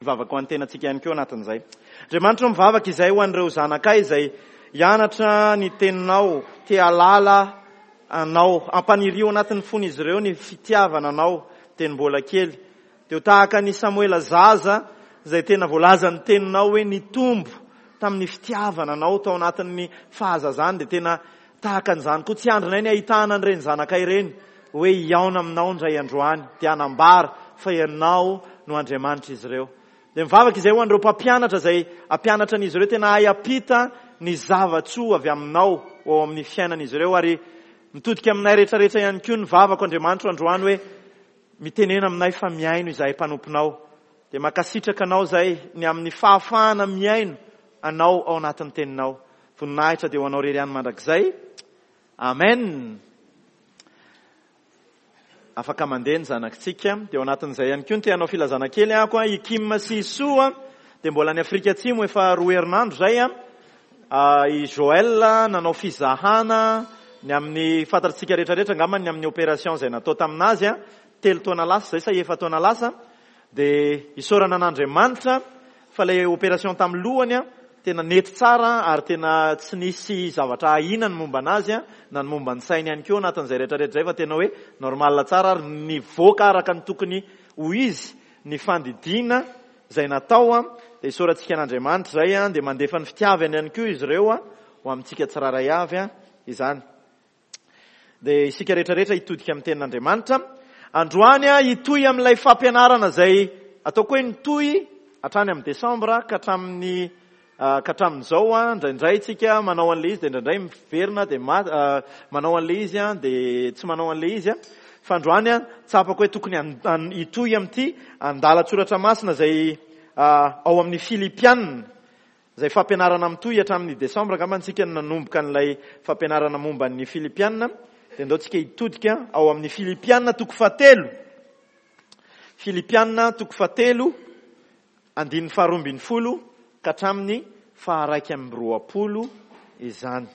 Hivavaka ho an'ny tenantsika ihany koa anatin'izay. Andriamanitra ô, mivavaka izahay ho an'ireo zanakay izay hianatra ny Teninao, te hahalala Anao. Ampanirio anatin'ny fon'izy ireo ny fitiavana Anao teny mbola kely. Dia ho tahaka an'i Samoela zaza izay tena voalazan'ny Teninao hoe nitombo tamin'ny fitiavana Anao tao anatin'ny fahazazany, dia tena tahaka an'izany koa. Tsy andrinay ny hahitana an'ireny zanakay ireny hoe hihaona aminao indray androany, dia hanambara fa Ianao no Andriamanitr'izy ireo. Dia mivavaka izahay ho an'ireo mpampianatra izay hampianatra an'izy ireo tena hahay hampita ny zava-tsoa avy aminao ho ao amin'ny fiainan'izy ireo. Ary mitodika aminay rehetrarehetra ihany koa ny vavako, Andriamanitro, androany hoe mitenena aminay fa mihaino izahay mpanomponao. Dia mankasitraka Anao izahay ny amin'ny fahafahana mihaino Anao ao anatin'ny Teninao. Voninahitra dia ho Anao irery ihany mandrakizay. Amen! Afaka mandeha ny zanakitsika. Dia ao anatin'izay ihany koa no te hanao filazana kely ahako. I Kim sy i Soa dia mbola any Afrika Atsimo efa roa herinandro izay. I Joël nanao fizahana ny amin'ny fantatsika rehetrarehetra angamba ny amin'ny opération izay natao taminazy telo taona lasa izay sa efa-taona lasa. Dia isaorana an'Andriamanitra fa ilay opération tamin'ny lohany tena nety tsara ary tena tsy nisy zavatra ahiana ny momba anazy na ny momba ny sainy ihany koa anatin'izay rehetra rehetra izay fa tena hoe normal tsara ary nivoaka araka ny tokony ho izy ny fandidiana izay natao. Dia isaorantsika an'Andriamanitra izay, dia mandefa ny fitiavany ihany koa izy ireo ho amintsika tsirairay avy izany. Dia isika rehetra rehetra hitodika amin'ny tenin'Andriamanitra. Androany aho hitohy amin'ilay fampianarana izay ataoko hoe nitohy hatrany amin'ny desambra ka hatramin'ny ka hatramin'izao an, indraindray tsika manao an'ilay izy dia indraindray miverina dia manao an'ilay izy an, dia tsy manao an'ilay izy an. Fa androany an, tsapako hoe tokony hitohy amin'ity andalan-tsoratra masina izay ao amin'ny Filipiana. Izay fampianarana mitohy hatramin'ny desambra angamba tsika no nanomboka an'ilay fampianarana momba ny Filipiana, dia ndao tsika hitodika ao amin'ny Filipiana toko fahatelo. Filipiana toko fahatelo, andininy faharoa ambin'ny folo ka hatramin'ny faharaika amby roapolo izany.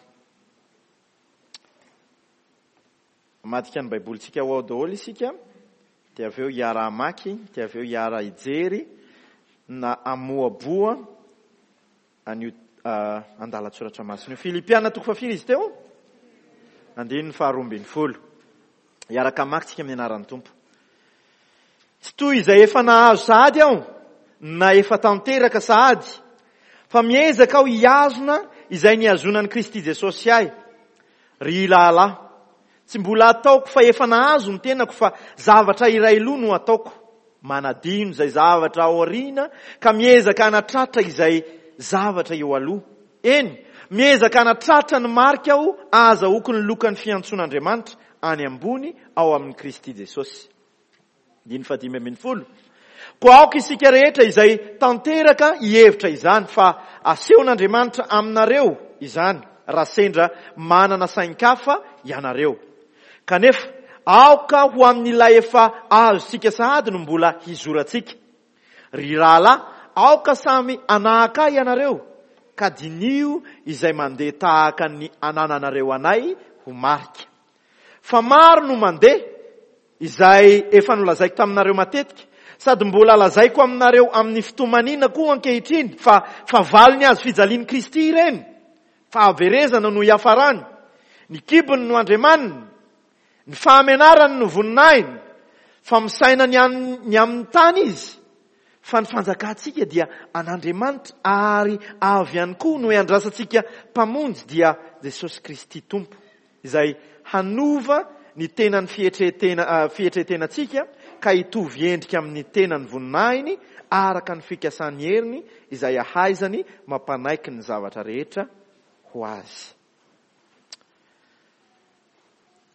Hamadika ny Baibolintsika ho ao daholo isika, dia avy eo hiara-hamaky, dia avy eo hiara-hijery na hamohaboha an'io andalan-tsoratra masina io. Filipiana toko fahafiry izy teo? Andininy faharoa ambin'ny folo. Hiaraka hamaky tsika amin'ny anaran'ny Tompo. Tsy toy izay efa nahazo sahady aho, na efa tanteraka sahady, fa miezaka aho hihazona izay nihazonan'i Kristy Jesosy ahy. Ry rahalahy, tsy mbola ataoko fa efa nahazo ny tenako fa zavatra iray loha no ataoko, manadino izay zavatra aoriana ka miezaka hanatratra izay zavatra eo aloha. Eny, miezaka hanatratra ny marika aho ahazahoako ny lokan'ny fiantsoan'Andriamanitra any ambony ao amin'i Kristy Jesosy. Andininy fahadimy ambin'ny folo. Koa aoka isika rehetra izay tanteraka hihevitra izany, fa asehon'Andriamanitra aminareo izany, raha sendra manana sain-kafa ianareo. Kanefa, aoka ho amin'ilay efa azontsika sahady no mbola hizorantsika. Ry rahalahy, aoka samy hanahaka ahy ianareo, ka diniho izay mandeha tahaka ny anananareo anay ho marika. Fa maro no mandeha, izay efa nolazaiko taminareo matetika, sady mbola lazaiko aminareo amin'ny fitomaniana koa ankehitriny, fa fahavalon'ny hazo fijalian'i Kristy ireny, fahaverezana no hiafarany, ny kibony no andriamaniny, ny fahamenarany no voninahiny, fa misaina ny ny amin'ny tany izy, fa ny fanjakantsika dia an'Andriamanitra ary avy ihany koa no iandrasantsika Mpamonjy dia Jesosy Kristy Tompo. izay hanova ny tenan'ny fietretena fietretenantsika ka hitovy endrika amin'ny tenan'ny voninahiny araka ny fikasan'ny heriny izay ahaizany mampanaiky ny zavatra rehetra ho azy.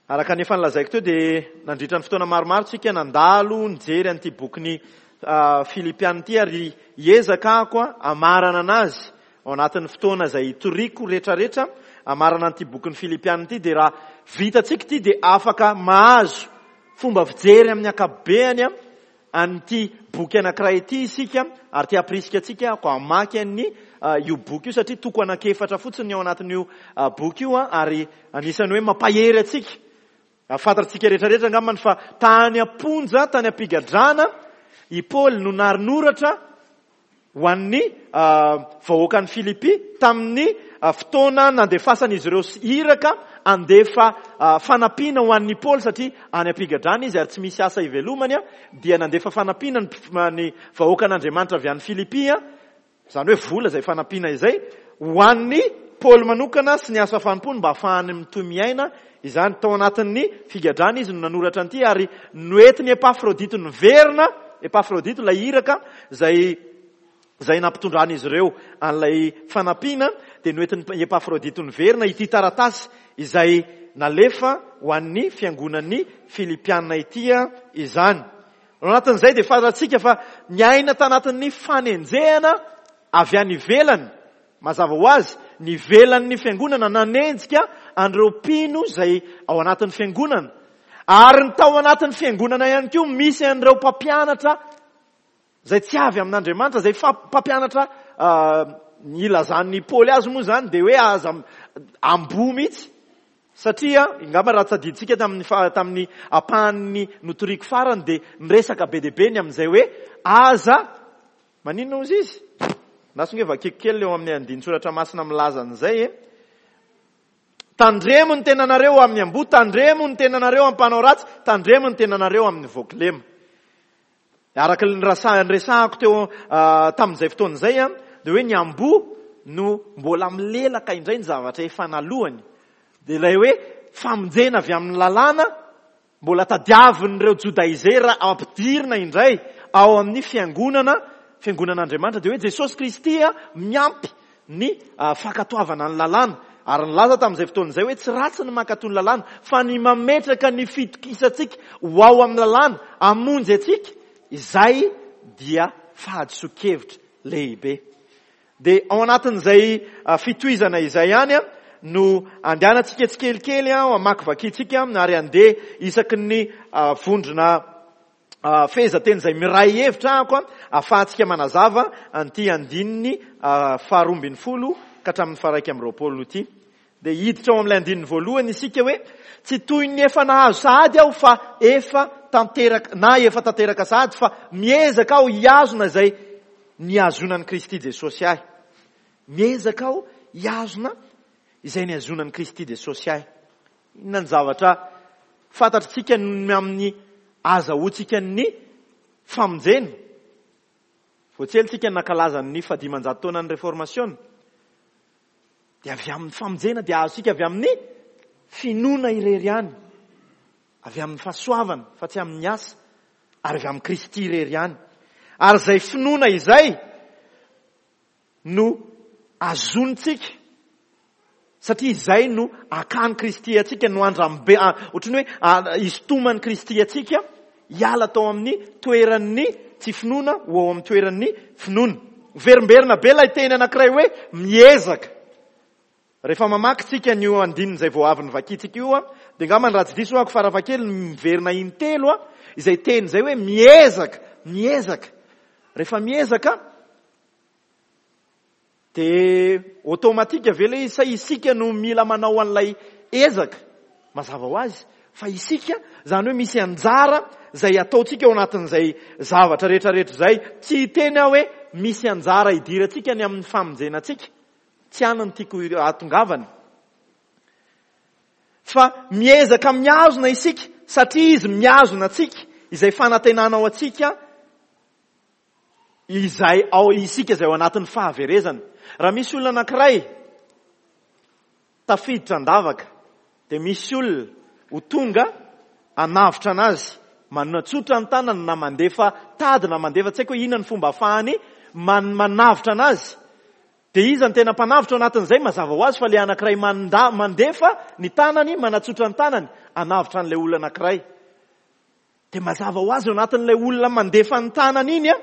Araka ny efa nolazaiko teo dia nandritra ny fotoana maromaro tsika nandalo nijery an'ity bokin'ny Filipiana ity ary hiezaka aho hamarana anazy Ao anatin'ny fotoana izay hitoriako retraretra hamarana an'ity bokin'ny Filipiana ity dia raha vitantsika ity dia afaka mahazo fomba fijery amin'ny ankapobeany an'ity boky anankiray ity isika ary te hampirisika antsika aho hamaky an'ny io boky io satria toko anankiefatra fotsiny ny ao anatin'io boky io ary anisan'ny hoe mampahery antsika. Fantatsika rehetrarehetra angambany fa tany am-ponja, tany am-pigadrana i Paoly no narinoratra. ho an'ny vahoakan'i Filipy tamin'ny fotoana nandefasan'izy ireo iraka handefa fanampiana ho an'i Paoly satria any am-pigadrana izy ary tsy misy asa ivelomany dia nandefa fanampiana ny vahoakan'Andriamanitra avy any Filipy, izany hoe vola izay fanampiana izay, ho an'i Paoly manokana sy ny asa fanompoany mba hahafahany mitohy miaina izany. Tao anatin'ny figadrana izy no nanoratra an'ity ary noentin'i Epafrodito niverina, Epafrodito ilay iraka izay izay nampitondran'izy ireo an'ilay fanampiana dia noentin'i Epafrodito niverina ity taratasy izay nalefa ho an'ny fiangonan'ny Filipiana ity izany. Ao anatin'izay dia fantatsika fa niaina tanatin'ny fanenjehana avy any ivelany. Mazava ho azy, ny ivelan'ny fiangonana nanenjika an'ireo mpino izay ao anatin'ny fiangonana. Ary ny tao anatin'ny fiangonana ihany koa misy an'ireo mpampianatra izay tsy avy amin'Andriamanitra, izay mpampianatra ny ilazan'i Paoly azy moa izany dia hoe aza amboa mihitsy. Satria, angamba raha tadidintsika tamin'ny tamin'ny ampahan'ny notoriko farany dia miresaka be dia be ny amin'izay hoe aza Maninona hozy izy? Lasa nge vakiko kely eo amin'ny andinin-tsoratra masina milaza an'izay e. Tandremo ny tenanareo amin'ny amboa, tandremo ny tenanareo amin'ny mpanao ratsy, tandremo ny tenanareo amin'ny voakilema. Araka ny niresahako teo tamin'izay fotoana izay dia hoe ny amboa no mbola milelaka indray ny zavatra efa nalohany. Dia ilay hoe famonjena avy amin'ny lalàna Mbola tadiavin'ireo Jodaizera ampidirina indray ao amin'ny fiangonana, fiangonan'Andriamanitra, dia hoe Jesosy Kristy miampy ny fankatoavana ny lalàna. Ary nilaza tamin'izay fotoana izay hoe tsy ratsy ny mankatò ny lalàna, fa ny mametraka ny fitokisantsika ho ao amin'ny lalàna hamonjy antsika, izay dia fahadisoan-kevitra lehibe. Dia ao anatin'izay fitohizana izay ihany no andehanantsika tsikelikely hamakivakintsika ary handeha isaky ny vondrona fehezanteny izay miray hevitra ahako ahafahantsika manazava an'ity andininy faharoa ambin'ny folo ka hatramin'ny faha-21 ity. Dia hiditra ao amin'ilay andininy voalohany isika hoe tsy toy ny efa nahazo sahady aho fa efa tanteraka na efa tanteraka sahady fa miezaka aho hihazona izay nihazonan'i Kristy Jesosy ahy. Miezaka aho hihazona izay nihazonan'i Kristy Jesosy ahy. Inona ny zavatra fantatritsika ny amin'ny azahoantsika ny famonjena? Vao tsy ela tsika nankalaza ny fahadimanjato taonan'ny Reformasiona. Dia avy amin'ny famonjena dia azontsika avy amin'ny finoana irery ihany. Avy amin'ny fahasoavana fa tsy amin'ny asa ary avy amin'i Kristy irery ihany. Ary izay finoana izay no azontsika satria izay no akan'i Kristy antsika, no andrambe, ohatran'ny hoe isintoman'i Kristy antsika hiala tao amin'ny toeran'ny tsy finoana ho ao amin'ny toeran'ny finoana. Miverimberina be ilay teny anankiray hoe miezaka. Rehefa mamaky tsika an'io andininy izay vao avy novakintsika io, dia angamba raha tsy diso aho farafahakeliny miverina intelo izay teny izay hoe miezaka, miezaka. Rehefa miezaka dia automatique ve ilay izy sa isika no mila manao an'ilay ezaka? Mazava ho azy fa isika, izany hoe misy anjara izay ataontsika ao anatin'izay zavatra rehetrarehetra izay. Tsy hiteny aho hoe misy anjara idirantsika ny amin'ny famonjena antsika. Tsy any no tiako hahatongavana. Fa miezaka mihazona isika satria izy mihazona antsika, izay fanantenana ao antsika, izay ao isika izay ao anatin'ny fahaverezana. Raha misy olona anankiray tafiditra an-davaka dia misy olona ho tonga hanavotra anazy, manatsotra ny tanany na mandefa tady na mandefa tsy haiko hoe inona ny fomba ahafahany manavotra anazy. Dia iza no tena mpanavotra ao anatin'izay? Mazava ho azy fa ilay anankiray mandefa ny tanany, manatsotra ny tanany hanavotra an'ilay olona anankiray. Dia mazava ho azy ao anatin'ilay olona mandefa ny tanany iny an,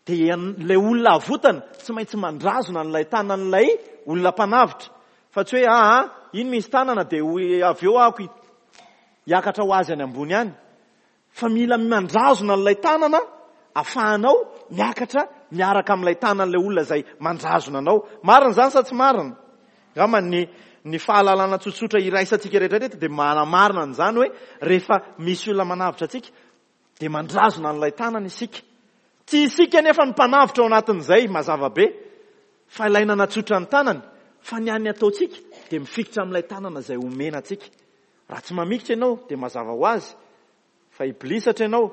dia ilay olona avotana tsy maintsy mandrazona an'ilay tanan'ilay olona mpanavotra. Fa tsy hoe aa iny misy tanana dia avy eo aho hiakatra ho azy any ambony any. Fa mila mandrazona an'ilay tanana afahanao miakatra miaraka amin'ilay tanan'ilay olona izay mandrazona anao. Marina izany sa tsy marina? Angamba ny ny fahalalana tsotsotra iraisantsika rehetra rehetra dia manamarina an'izany hoe rehefa misy olona manavotra antsika dia mandrazona an'ilay tanana isika. Tsy isika anefa no mpanavotra ao anatin'izay, mazava be, fa ilay nanatsotra ny tanany, fa ny an'ny ataontsika dia mifikitra amin'ilay tanana izay omena antsika. Raha tsy mamikitra ianao dia mazava ho azy fa hibilisatra ianao,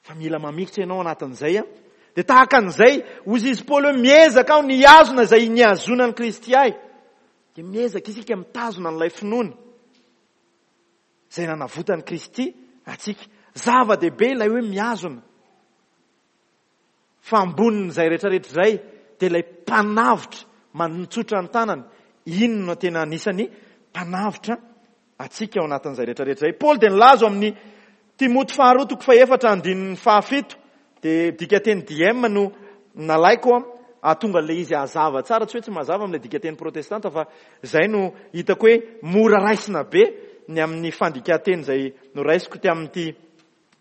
fa mila mamikitra ianao anatin'izay an. Dia tahaka an'izay, hozy izy Paoly hoe miezaka aho ny hihazona izay nihazonan'i Kristy ahy. Dia miezaka isika mitazona an'ilay finoana izay nanavotan'i Kristy antsika. Zava-dehibe ilay hoe mihazona. Fa ambonin'izay rehetrarehetra izay dia ilay mpanavotra manotsotra ny tanany. Iny no tena anisan'ny mpanavotra antsika ao anatin'izay rehetrarehetra izay. Paoly dia nilaza ao amin'ny Timoty faharoa toko fahefatra andininy fahafito, dia dikateny DM no nalaiko hahatonga an'ilay izy hazava tsara, tsy hoe tsy mazava amin'ilay dikateny protestanta fa izay no hitako hoe mora raisina be ny amin'ny fandikan-teny izay noraisiko ty amin'ity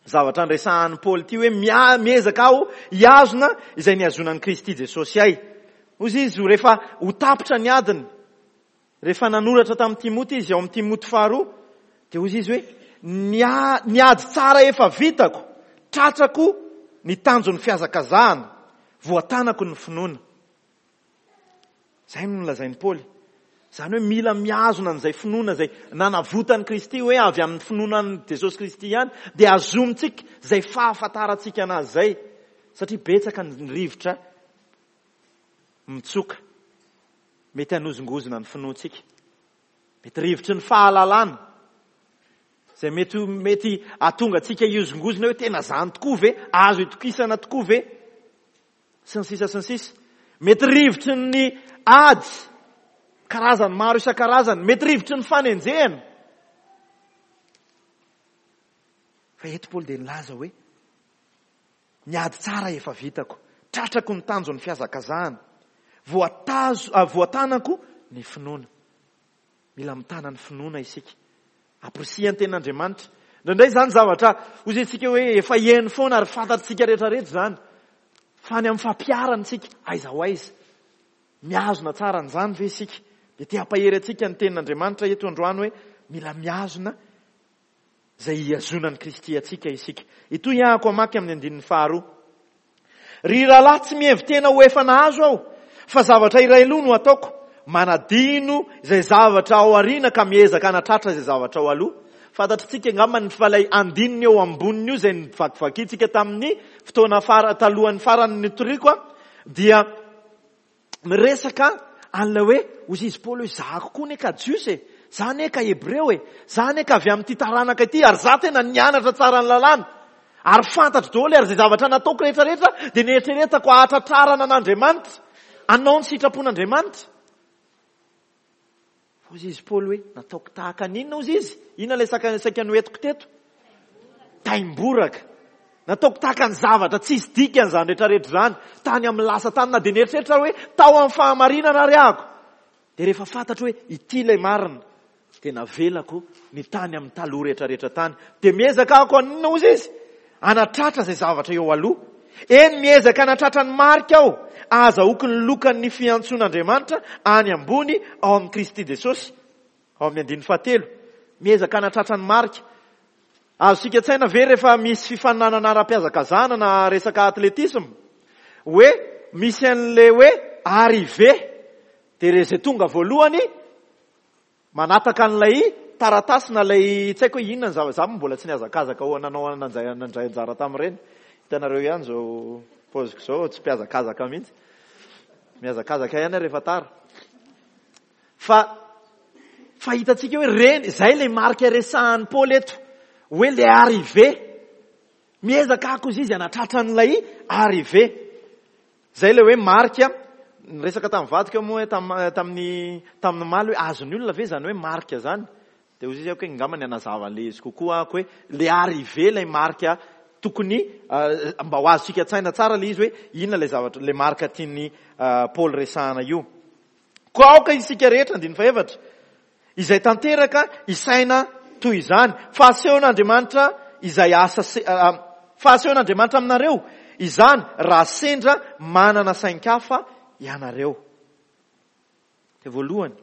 zavatra niresahan'i Paoly ity hoe miezaka aho hihazona izay nihazonan'i Kristy Jesosy ahy. Hoy izy rehefa ho tapitra ny adiny, rehefa nanoratra tamin'i Timoty izy ao amin'ny Timoty faharoa, dia hoy izy hoe ny ady tsara efa vitako, tratrako ny tanjon'ny fihazakazahana, voatanako ny finoana. Izay no nolazain'i Paoly. Izany hoe mila mihazona an'izay finoana izay nanavotan'i Kristy hoe avy amin'ny finoana an'i Jesosy Kristy ihany dia azomintsika izay fahafantarantsika anazy izay. Satria betsaka ny rivotra mitsoka mety hanozongozona ny finoantsika. Mety rivotry ny fahalalana izay mety mety hahatonga antsika hihozongozona hoe tena izany tokoa ve? Azo itokisana tokoa ve? Sy ny sisa sy ny sisa. Mety rivotry ny ady, karazany maro isan-karazany. Mety rivotry ny fanenjehana. Fa eto Paoly dia nilaza hoe, ny ady tsara efa vitako, tratrako ny tanjon'ny fihazakazahana, voatazo, ah, voatanako ny finoana. Mila mitana ny finoana isika. Amporisihan'ny tenin'Andriamanitra. Indraindray izany zavatra hoy isika hoe efa heno foana ary fantatsika rehetra rehetra izany. Fa any amin'ny fampiharana isika, aiza ho aiza. Mihazona tsara an'izany ve isika? Dia te hampahery antsika ny tenin'Andriamanitra eto androany hoe mila mihazona izay hihazonan'i Kristy antsika isika. Itoy ahako hamaky amin'ny andininy faharoa. Ry rahalahy, tsy mihevi-tena ho efa nahazo aho, fa zavatra iray loha no ataoko, manadino izay zavatra ao aoriana ka miezaka hanatratra izay zavatra ao aloha. Fantatritsika angamba ny fa ilay andininy eo amboniny io izay novakivakintsika tamin'ny fotoana fara, talohan'ny farany nitoriako dia miresaka an'ilay hoe hozy izy Paoly hoe zahako koa anie ka Jiosy e, za anie ka Hebreo e, za anie ka avy amin'ity taranaka ity ary za tena nianatra tsara ny lalàna ary fantatro daholo ary izay zavatra nataoko rehetra rehetra dia nieritreretako hahatratrarana an'Andriamanitra, hanao ny sitrapon'Andriamanitra. Hozy izy Paoly hoe nataoko tahaka ny inona hozy izy? Inona ilay saka saika noentiko teto? Taimboraka. Nataoko tahaka ny zavatra tsisy dikany izany rehetra rehetra izany. Tany amin'ny lasa tany na dia nieritreritra hoe tao amin'ny fahamarinana ary ahako. Dia rehefa fantatro hoe ity ilay marina dia navelako ny tany amin'ny taloha rehetra rehetra tany. Dia miezaka ahako haninona hozy izy? Hanatratra izay zavatra eo aloha. Eny, miezaka hanatratra ny marika aho, ahazahoako ny lokan'ny fiantsoan'Andriamanitra any ambony ao amin'i Kristy Jesosy. Ao amin'ny andininy fahatelo, miezaka hanatratra ny marika. Azontsika an-tsaina ve rehefa misy fifaninanana ara-pihazakazahana na resaka atletisma, hoe misy an'ilay hoe arrivée, dia izay tonga voalohany Manataka an'ilay taratasy na ilay tsy haiko hoe inona ny zava za moa mbola tsy nihazakazaka ho nanao nandray nandray anjara tamin'ireny. Hitanareo ihany izao paoziko izao, tsy mpihazakazaka mihitsy. Mihazakazaka ihany aho rehefa tara. Fa fa hitantsika hoe reny, izay ilay marika resahan'i Paoly eto, hoe le arrivée. Miezaka ako izy izy hanatratra an'ilay arrivée. Izay ilay hoe marika, niresaka tamin'ny vadiko aho moa hoe tamin'ny tamin'ny omaly hoe azon'ny olona ve izany hoe marika izany? Dia hoy izy hoe angamba ny hanazava an'ilay izy kokoa aho hoe le arrivée ilay marika tokony mba ho azontsika an-tsaina tsara ilay izy hoe inona ilay zavatra ilay marika tian'i Paoly resahana io. Koa aoka isika rehetra, andininy fahefatra, izay tanteraka hisaina toy izany, fa asehon'Andriamanitra izay asa fa asehon'Andriamanitra aminareo izany raha sendra manana sain-kafa ianareo. Dia voalohany,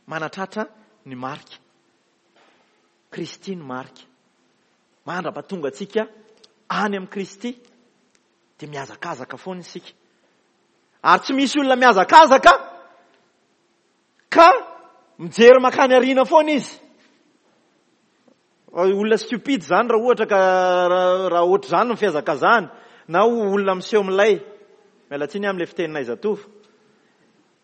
manatratra ny marika. Kristy no marika. Mandra-pahatonga antsika any amin'i Kristy. Dia mihazakazaka foana isika. Ary tsy misy olona mihazakazaka ka mijery makany aoriana foana izy. Olona stupide izany raha ohatra ka raha ohatr'izany ny fihazakazahany na olona miseho milay. Miala tsiny amin'ilay fiteninay zatovo.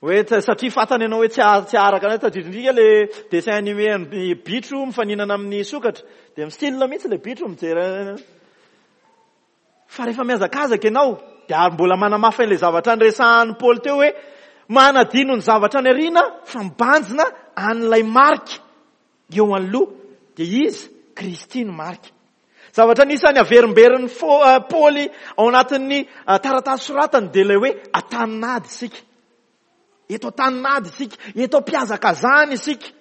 Hoe satria fantany ianao hoe tsy tsy haharaka anay, tadidindrika le dessin animé an'ny bitro mifaninana amin'ny sokatra, dia mi-style mihitsy le bitro mijery. Fa rehefa mihazakazaka ianao, dia ary mbola manamafy an'ilay zavatra niresahan'i Paoly teo hoe manadino ny zavatra any aoriana fa mibanjina an'ilay marika eo anoloha, dia iza? Kristy no marika. Zavatra anisan'ny averimberin'i Paoly ao anatin'ny taratasy soratany dia ilay hoe an-tanin'ady isika. Eto an-tanin'ady isika, eto am-pihazakazahana isika.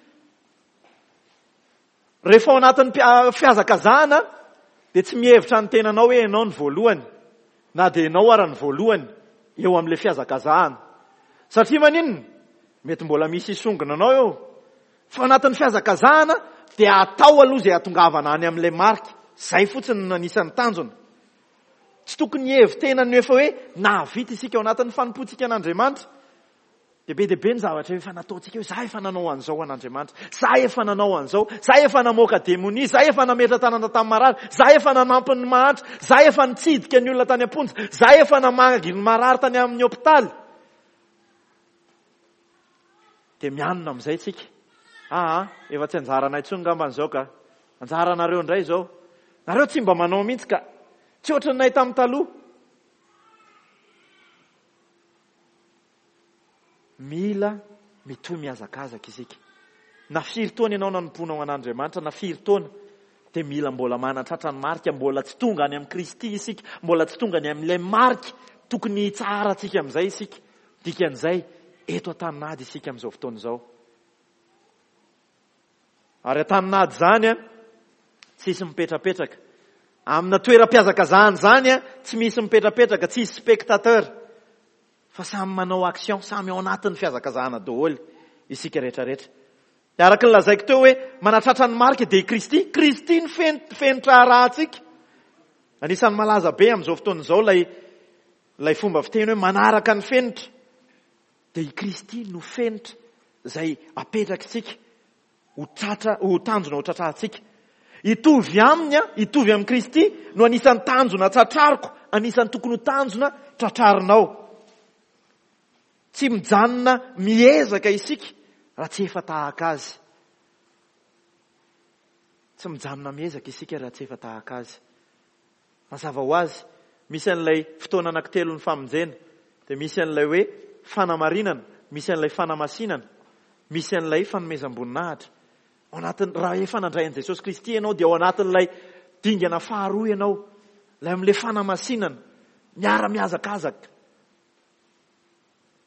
Rehefa ao anatin'ny fihazakazahana dia tsy mihevitra ny tenanao hoe ianao ny voalohany, na dia ianao ara ny voalohany eo amin'ilay fihazakazahana. Satria maninona? Mety mbola misy hisongona anao eo. Fa anatin'ny fihazakazahana dia atao aloha izay hahatongavana any amin'ilay marika. Izay fotsiny no anisan'ny tanjona. Tsy tokony hihevi-tena ny efa hoe nahavita isika ao anatin'ny fanompoantsika an'Andriamanitra. Dia be dia be ny zavatra efa nataontsika hoe za efa nanao an'izao ho an'Andriamanitra, za efa nanao an'izao, za efa namoaka demonia, za efa nametra-tanana tamin'ny marary, za efa nanampy ny mahantra, za efa nitsidika ny olona tany am-ponja, za efa namangy ny marary tany amin'ny hopitaly. Dia mianona amin'izay tsika. Aa, efa tsy anjaranay intsony ngambany izao ka. Anjaranareo indray izao. Nareo tsy mba manao mihitsy ka. Tsy ohatranay tamin'ny taloha. Mila mitohy mihazakazaka isika. Na firy taona ianao nanompoanao an'Andriamanitra, na firy taona, dia mila mbola manatratra ny marika, mbola tsy tonga any amin'i Kristy isika, mbola tsy tonga any amin'ilay marika tokony hitsaharantsika amin'izay isika. Dikan'izay, eto an-tanin'ady isika amin'izao fotoana izao. Ary an-tanin'ady izany, tsisy mipetrapetraka. Amina toeram-pihazakazahana izany, tsy misy mipetrapetraka, tsisy spectateur. Fa samy manao action, samy ao anatin'ny fihazakazahana daholo isika rehetrarehetra. Dia araka ny lazaiko teo hoe manatratra ny marika dia i Kristy. Kristy no fenitra arahantsika. Anisan'ny malaza be amin'izao fotoana izao ilay Ilay fomba fiteny hoe manaraka ny fenitra dia i Kristy no fenitra izay apetrakitsika ho tratra, ho tanjona ho tratrahantsika. Hitovy aminy, hitovy amin'i Kristy no anisan'ny tanjona tratrariko, anisan'ny tokony ho tanjona tratrarinao. Tsy mijanona miezaka isika raha tsy efa tahaka azy. Tsy mijanona miezaka isika raha tsy efa tahaka azy. Mazava ho azy, misy an'ilay fotoana anankitelon'ny famonjena, dia misy an'ilay hoe fanamarinana, misy an'ilay fanamasinana, misy an'ilay fanomezam-boninahitra. Ao anatin'ny, raha efa nandray an'i Jesosy Kristy ianao dia ao anatin'ilay dingana faharoa ianao, ilay amin'ilay fanamasinana, miara-mihazakazaka.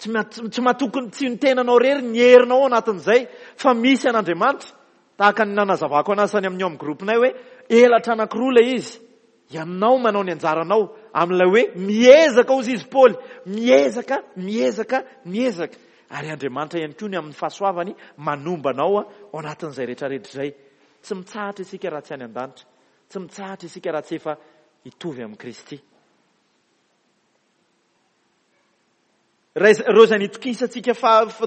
Tsy tsy matoky ny tsy ny tenanao irery ny herinao ao anatin'izay fa misy an'Andriamanitra. Tahaka ny nanazavako anazy tany amin'ny ao amin'ny groupe-nay hoe elatra anankiroa ilay izy. Ianao manao ny anjaranao amin'ilay hoe miezaka hozy izy Paoly, miezaka, miezaka, miezaka. Ary Andriamanitra ihany koa ny amin'ny fahasoavany manomba anao ao anatin'izay rehetra rehetra izay. Tsy mitsahatra isika raha tsy any an-danitra. Tsy mitsahatra isika raha tsy efa hitovy amin'i Kristy. Ireo izay nitokisantsika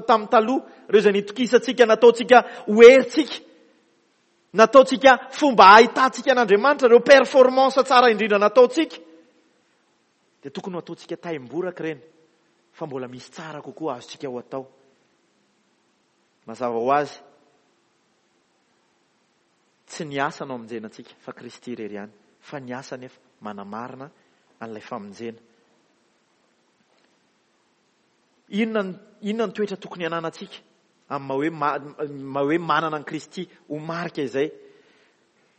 tamin'ny taloha, ireo izay nitokisantsika nataontsika ho herintsika, nataontsika fomba ahitantsika an'Andriamanitra, ireo performance tsara indrindra nataontsika, dia tokony ho ataontsika taimboraka ireny, fa mbola misy tsara kokoa azontsika ho atao. Mazava ho azy, tsy ny asa no amonjena antsika, fa Kristy irery ihany. Fa ny asa anefa manamarina an'ilay famonjena. Inona inona ny toetra tokony hananantsika amin'ny maha hoe maha hoe manana an'i Kristy ho marika izay?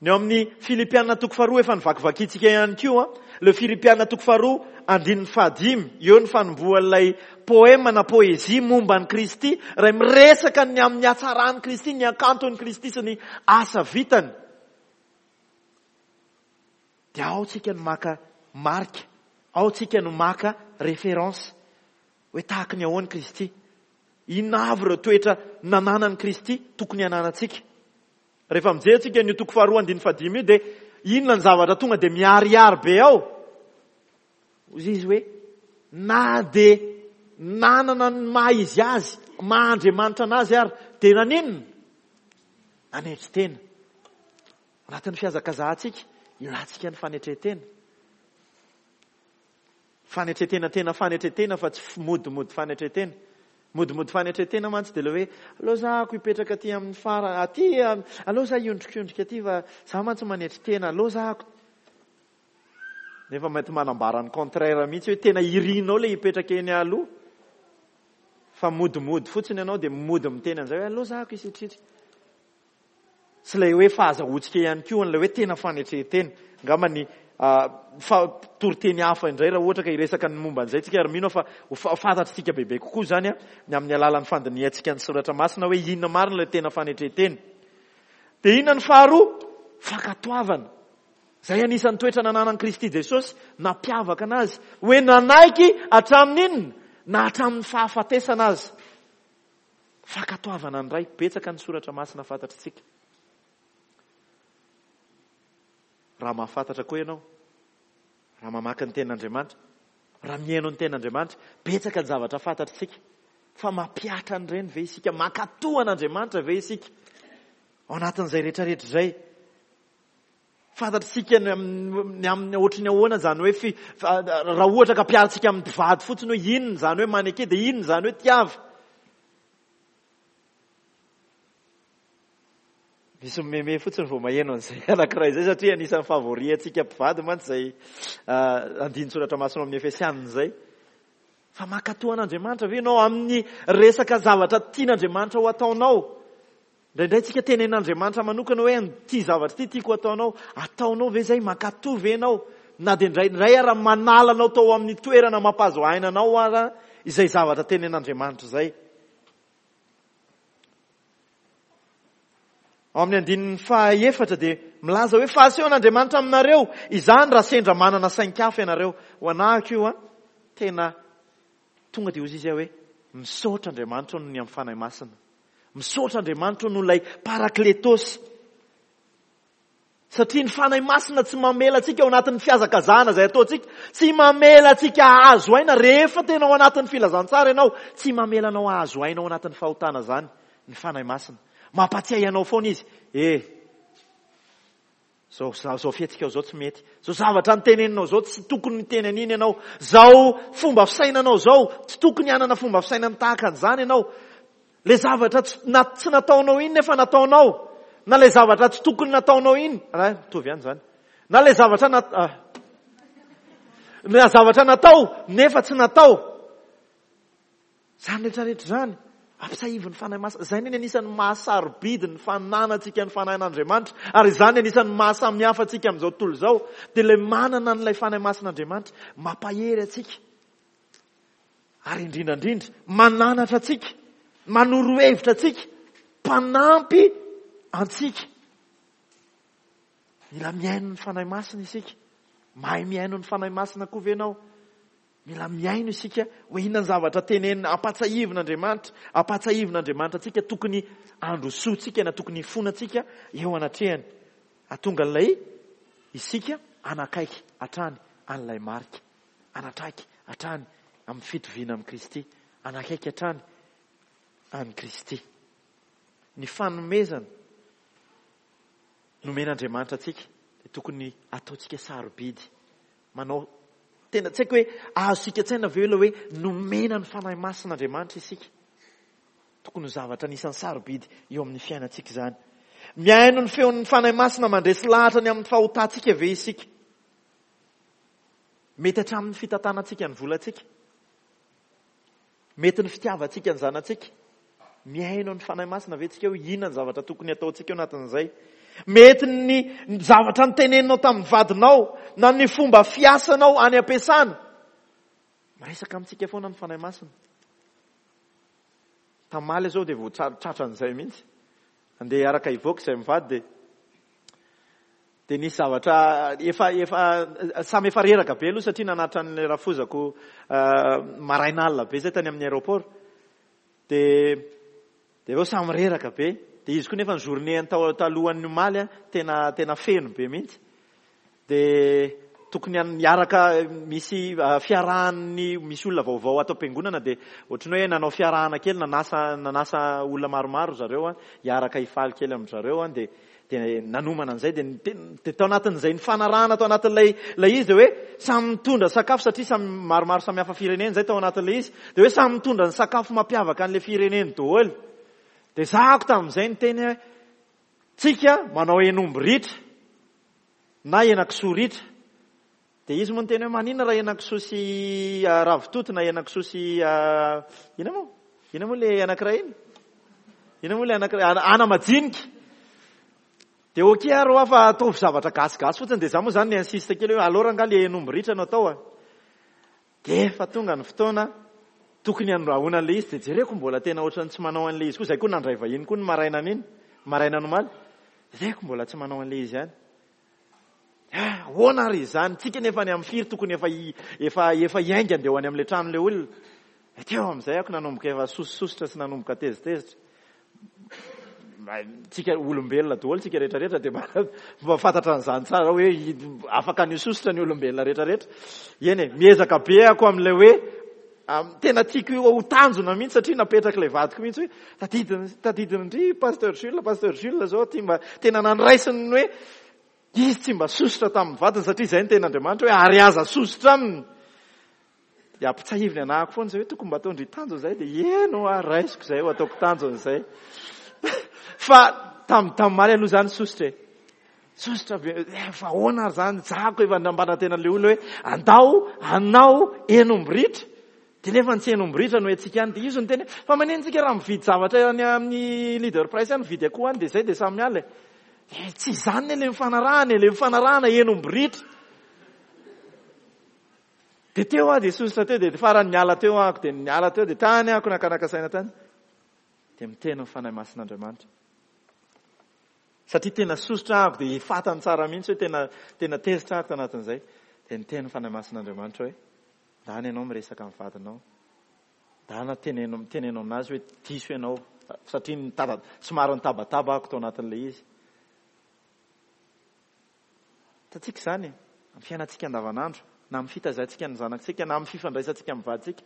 Ny ao amin'ny Filipiana toko faharoa efa novakivakintsika ihany koa, le Filipiana toko faharoa andininy fahadimy, eo ny fanombohan'ilay poema na poezia momba an'i Kristy, iray miresaka ny amin'ny hatsaran'i Kristy, ny hakanton'i Kristy sy ny asa vitany. Dia ao tsika no maka marika, ao tsika no maka référence hoe tahaky ny ahoana Kristy. Inona avy ireo toetra nananan'i Kristy tokony hananantsika? Rehefa mijery tsika an'io toko faharoa andininy fahadimy io dia inona ny zavatra tonga dia miharihary be ao? Hoy izy hoe, na dia nanana ny maha izy azy, maha Andriamanitra anazy ary, dia naninona? Nanetry tena. Anatin'ny fihazakazahantsika, ilantsika ny fanetren-tena. Fanetren-tena tena fanetren-tena fa tsy modimody fanetren-tena. Modimody fanetren-tena mantsy dia ilay hoe aleo za ako hipetraka aty amin'ny fara aty, aleo za hiondrikondrika aty fa za mantsy manetry tena, aleo za ako. Nefa mety manambara ny contraire mihitsy hoe tena irinao ilay hipetraka eny aloha fa modimody fotsiny ianao dia mody miteny an'izay hoe aleo za ako hisitrisitrika. Tsy ilay hoe fahazahoantsika ihany koa an'ilay hoe tena fanetren-tena. Angamba ny fa toriteny hafa indray raha ohatra ka hiresaka ny momba an'izay tsika ary mino aho fa ho fantatr'tsika bebe kokoa izany ny amin'ny alalan'ny fandinihantsika ny soratra masina hoe inona marina ilay tena fanetren-tena. Dia inona ny faharoa? Fankatoavana. Izay anisan'ny toetra nananan'i Kristy Jesosy nampiavaka anazy hoe nanaiky hatramin'ny inona? Na hatramin'ny fahafatesana aza. Fankatoavana ny Ray. Betsaka ny soratra masina fantatritsika. Raha mahafantatra koa ianao, raha mamaky ny tenin'Andriamanitra, raha mihaino ny tenin'Andriamanitra, betsaka ny zavatra fantatritsika. Fa mampihatra an'ireny ve isika? Mankatoa an'Andriamanitra ve isika? Ao anatin'izay rehetrarehetra izay. Fantatr'isika ny amin'ny ohatry ny ahoana izany hoe fi, raha ohatra ka ampiharintsika amin'ny mpivady fotsiny hoe inona izany hoe maneke dia inona izany hoe tiava. Misy mimeme fotsiny vao maheno an'izay anankiray izay satria anisan'ny favori antsika mpivady mantsy izay andinin-tsoratra masina ao amin'ny Efesianina izay. Fa mankatò an'Andriamanitra ve ianao amin'ny resaka zavatra tian'Andriamanitra ho ataonao? Indraindray tsika tenenin'Andriamanitra manokana hoe ity zavatra ity tiako ataonao. Ataonao ve izay? Mankatò ve ianao? Na dia indraindray ara manala anao tao amin'ny toerana mampahazo aina anao ara izay zavatra tenenin'Andriamanitra izay. Ao amin'ny andininy fahaefatra dia milaza hoe fa asehon'Andriamanitra aminareo izany raha sendra manana sain-kafa ianareo. Ho anahako io an, tena tonga dia hozy izy hoe misaotra Andriamanitra noho ny amin'ny Fanahy Masina. Misaotra Andriamanitra noho ilay Parakletos. Satria ny Fanahy Masina tsy mamela antsika ao anatin'ny fihazakazahana izay ataontsika, tsy mamela antsika hahazo aina rehefa tena ao anatin'ny filazantsara ianao, tsy mamela anao hahazo aina ao anatin'ny fahotana izany ny Fanahy Masina. Mampatsiahy anao foana izy, eh, Zao zao fihetsikao zao tsy mety. Zao zavatra niteneninao zao tsy tokony niteny an'iny ianao. Zao fomba fisainanao zao tsy tokony hanana fomba fisainana tahaka an'izany ianao. Le zavatra tsy na tsy nataonao iny nefa nataonao. Na le zavatra tsy tokony nataonao iny, ah, mitovy ihany zany. Na le zavatra na ah, na zavatra natao nefa tsy natao. Izany rehetra rehetra izany, ampisahivin'ny Fanahy Masina. Izay ny anisan'ny maha-sarobidy ny fananantsika ny Fanahin'Andriamanitra, ary izany anisan'ny maha-samihafa antsika amin'izao tontolo izao, dia ilay manana an'ilay Fanahy Masin'Andriamanitra, mampahery antsika, ary indrindra indrindra, mananatra antsika, manoro hevitra antsika, mpanampy antsika. Mila mihaino ny Fanahy Masina isika. Mahay mihaino ny Fanahy Masina koa ve ianao? Mila mihaino isika hoe inona ny zavatra tenenina, ampahatsiahivin'Andriamanitra, ampahatsiahivin'Andriamanitra antsika tokony handrosoantsika na tokony hifonantsika eo anatrehany. Hahatonga an'ilay isika hanakaiky hatrany an'ilay marika, hanatraiky hatrany amin'ny fitoviana amin'i Kristy, hanakaiky hatrany an'i Kristy. Ny fanomezana nomen'Andriamanitra antsika dia tokony ataontsika sarobidy. Manao tena tsy haiko hoe azontsika an-tsaina ve ilay hoe nomena ny Fanahy Masina Andriamanitra isika. Tokony ho zavatra anisan'ny sarobidy eo amin'ny fiainantsika izany. Mihaino ny feon'ny Fanahy Masina mandresy lahatra ny amin'ny fahotantsika ve isika? Mety hatramin'ny fitantanantsika ny volantsika. Mety ny fitiavantsika ny zanatsika. Mihaino ny Fanahy Masina ve tsika hoe inona ny zavatra tokony hataontsika ao anatin'izay? Mety ny zavatra niteneninao tamin'ny vadinao na ny fomba fiasanao any am-piasana. Miresaka amintsika foana ny Fanahy Masina. Tamaly izao dia vao tratran'izay mihitsy. Andeha hiaraka hivoaka izay mivady dia Dia nisy zavatra efa efa samy efa reraka be aloha satria nanatitra an'ilay rafozako maraina alina be zay tany amin'ny aéroport. Dia dia avy eo samy reraka be. Dia izy koa nefa ny journée-ny tao talohan'ny omaly tena tena feno be mihitsy. Dia. tokony hiaraka misy fiarahan'ny misy olona vaovao ato am-piangonana dia ohatran'ny hoe nanao fiarahana kely nanasa nanasa olona maromaro zareo an, hiaraka hifaly kely amin-dry zareo an, dia dia nanomana an'izay dia dia tao anatin'izay nifanarahana tao anatin'ilay ilay izy dia hoe samy mitondra sakafo satria samy maromaro samy hafa firenena izay tao anatin'ilay izy dia hoe samy mitondra ny sakafo mampiavaka an'ilay fireneny daholo. Dia zahako tamin'izay niteny hoe tsika manao henomby ritra na henakisoa ritra. Dia izy moa niteny hoe maninona raha henakisoa sy ravitoto na henakisoa sy inona moa? Inona moa ilay anankiray iny? Inona moa ilay anankiray? Ana-majinika. Dia ok ary hoa fa ataovy zavatra gasigasy fotsiny. Dia za moa izany ni-insiste kely hoe alors angaha ilay henomby ritra no atao a? Dia efa tonga ny fotoana tokony handrahoana an'ilay izy dia jereko mbola tena ohatran'ny tsy manao an'ilay izy koa, izay koa nandray vahiny koa ny marainan'iny, marainan'ny omaly, jereko mbola tsy manao an'ilay izy ihany. Ah, ahoana ary izany? Tsika nefa any amin'ny firy tokony efa efa efa hiainga andeha ho any amin'ilay tranon'ilay olona. Dia teo amin'izay ako nanomboka efa sosososotra sy nanomboka tezitezitra. Tsika olombelona daholo tsika rehetra rehetra dia mba fantatra an'izany tsara hoe afaka ny sosotra ny olombelona rehetra rehetra. Eny e, miezaka be ako amin'ilay hoe tena tiako ho tanjona mihitsy satria napetrak'ilay vadiko mihitsy hoe tadidiny tadidin-dry Pasteur Jules, Pasteur Jules zao ty mba tena nandraisiny hoe izy tsy mba sosotra tamin'ny vadiny satria izay ny tenin'Andriamanitra hoe ary aza sosotra aminy. Dia ampitsahiviny anahako foana izay hoe tokony mba ataon-dry tanjona izay dia eny hoa raisiko izay ho ataoko tanjona izay. Fa tam tamin'ny aloha izany sosotra e. Sosotra be, eh, fa ahoana ary izany? Zahako efa nampanantena an'ilay olona hoe andao hanao henomby ritra. Dia nefa ny tsy henomby ritra no hetsika any. Dia izy no niteny hoe fa manino tsika raha mividy zavatra any amin'ny leader price any, mividy akoho any dia izay dia samy miala e. Eh, tsy izany anie ilay nifanarahana e, ilay nifanarahana henomby ritra. Dia teo aho dia sosotra teo, dia farany niala teo aho, dia niala teo, dia tany aho nakanaka saina tany. Dia miteny ny Fanahy Masin'Andriamanitra. Satria tena sosotra aho, dia fatany tsara mihitsy hoe tena tena tezitra aho tanatin'izay. Dia niteny ny Fanahy Masin'Andriamanitra hoe, ndana ianao miresaka amin'ny vadinao. Ndana teneno teneno aminazy hoe diso ianao. Satria nitaba, somary nitabataba aho tao anatin'ilay izy. Hitantsika izany amin'ny fiainantsika andavanandro, na amin'ny fitaizantsika ny zanaktsika, na amin'ny fifandraisantsika amin'ny vadintsika.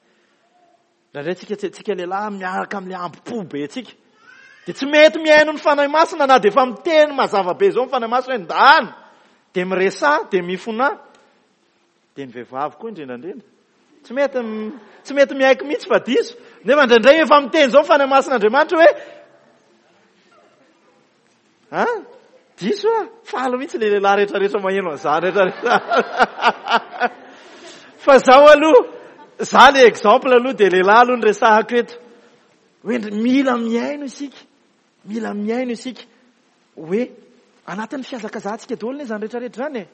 Indraindray tsika tsy tsika lehilahy miaraka amin'ilay ambo-po be tsika. Dia tsy mety mihaino ny Fanahy Masina na dia efa miteny mazava be izao ny Fanahy Masina hoe ndana, dia miresaha, dia mifonà. Dia ny vehivavy koa indrindra indrindra. Tsy mety tsy mety miaiky mihitsy fa diso. Nefa indraindray efa miteny izao ny Fanahy Masin'Andriamanitra hoe Ha? Diso ah? Faly mihitsy le lehilahy rehetra rehetra maheno an'izany rehetra rehetra. Fa zaho aloha, za le exemple aloha dia lehilahy aloha no resahako eto. Hoe mila mihaino isika. Mila mihaino isika. Hoe anatin'ny fihazakazahantsika daholo anie izany rehetra rehetra izany e.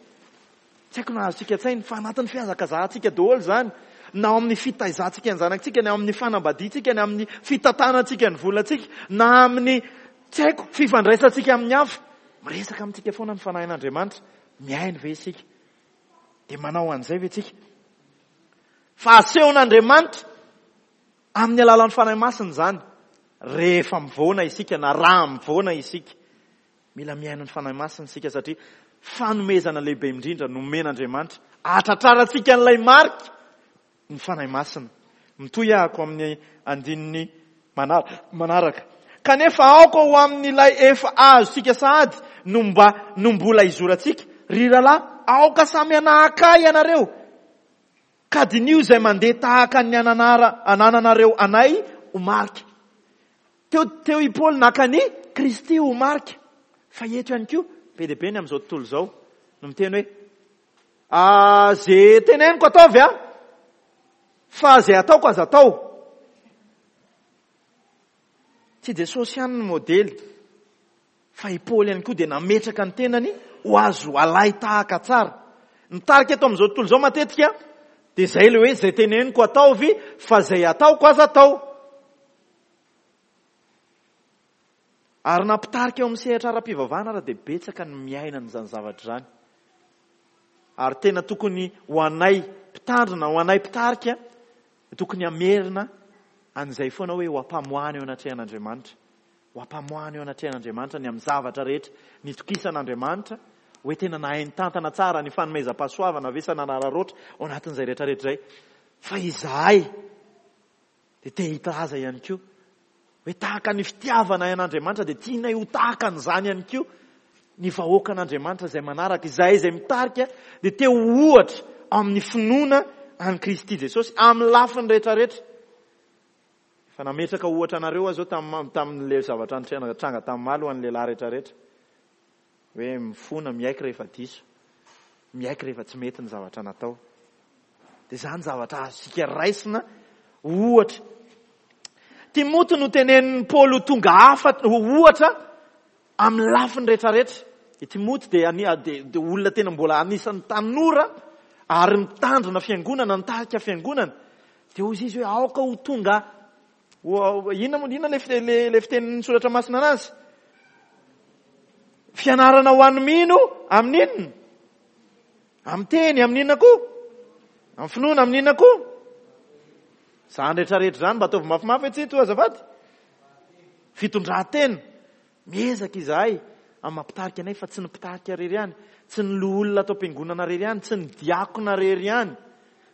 Tsy haiko na azontsika an-tsaina fa anatin'ny fihazakazahantsika daholo izany, na ao amin'ny fitaizantsika ny zanakitsika, na ao amin'ny fanambadiantsika, na amin'ny fitantanantsika ny volantsika, na amin'ny tsy haiko fifandraisantsika amin'ny hafa. Miresaka amintsika foana ny Fanahin'Andriamanitra. Mihaino ve isika? Dia manao an'izay ve tsika? Fa asehon'Andriamanitra amin'ny alalan'ny Fanahy Masina izany rehefa mivoana isika na raha mivoana isika. Mila mihaino ny Fanahy Masina isika satria fanomezana lehibe indrindra nomen'Andriamanitra hahatratrarantsika an'ilay marika ny Fanahy Masina. Mitohy ahako amin'ny andininy manaraka. Kanefa aoka ho amin'ilay efa azontsika sahady no mba no mbola izorantsika. Ry rahalahy, aoka samy hanahaka ahy ianareo, ka diniho izay mandeha tahaka ny anananareo anay ho marika. Teo teo i Paoly naka an'i Kristy ho marika. Fa eto ihany koa, be dia be ny amin'izao tontolo izao no miteny hoe, Ah, ze teneniko ataovy a, fa ze ataoko aza atao. Tsy Jesosy ihany no modely, fa i Paoly ihany koa dia nametraka ny tenany ho azo alay tahaka tsara. Ny tarika eto amin'izao tontolo izao matetika dia izay ilay hoe izay teneniko ataovy fa izay ataoko aza atao. Ary na mpitarika eo amin'ny sehatra ara-pivavahana ara dia betsaka ny miaina an'izany zavatra izany. Ary tena tokony ho anay mpitandrina, ho anay mpitarika, tokony hamerina an'izay foana hoe ho ampamoahana eo anatrehan'Andriamanitra. Ho ampamoahana eo anatrehan'Andriamanitra ny amin'ny zavatra rehetra nitokisan'Andriamanitra. Hoe tena nahay nitantana tsara ny fanomezam-pahasoavana ve sa nanararaotra ao anatin'izay rehetra rehetra izay. Fa izahay dia te hilaza ihany koa hoe tahaka ny fitiavanay an'Andriamanitra dia tianay ho tahaka an'izany ihany koa ny vahoakan'Andriamanitra izay manaraka. Izahay izay mitarika dia te ho ohatra amin'ny finoana an'i Kristy Jesosy amin'ny lafiny rehetra rehetra. Efa nametraka ohatra anareo aho izao tamin'ilay zavatra nitranga tamin'ny maly ho an'ny lehilahy rehetra rehetra. Hoe mifona, miaiky rehefa diso, miaiky rehefa tsy mety ny zavatra natao. Dia izany zavatra azontsika raisina ohatra. Timoty no tenenin'i Paoly ho tonga hafa, ho ohatra amin'ny lafiny rehetrarehetra. I Timoty dia, dia, dia olona tena mbola anisan'ny tanora ary mitandrina fiangonana, nitarika fiangonana. Dia hoy izy hoe aoka ho tonga Inona moa inona le le fitenin'ny soratra masina anazy? Fianarana ho an'ny mino amin'ny inona? Amin'ny teny, amin'ny inona koa? Amin'ny finoana, amin'ny inona koa? Izany rehetra rehetra izany mba ataovy mafimafy hoe tsy to azafady. Fitondran-tena. Miezaka izahay amin'ny mampitarika anay fa tsy ny mpitarika irery ihany, tsy ny loholona ato am-piangonana irery ihany, tsy ny diakona irery ihany,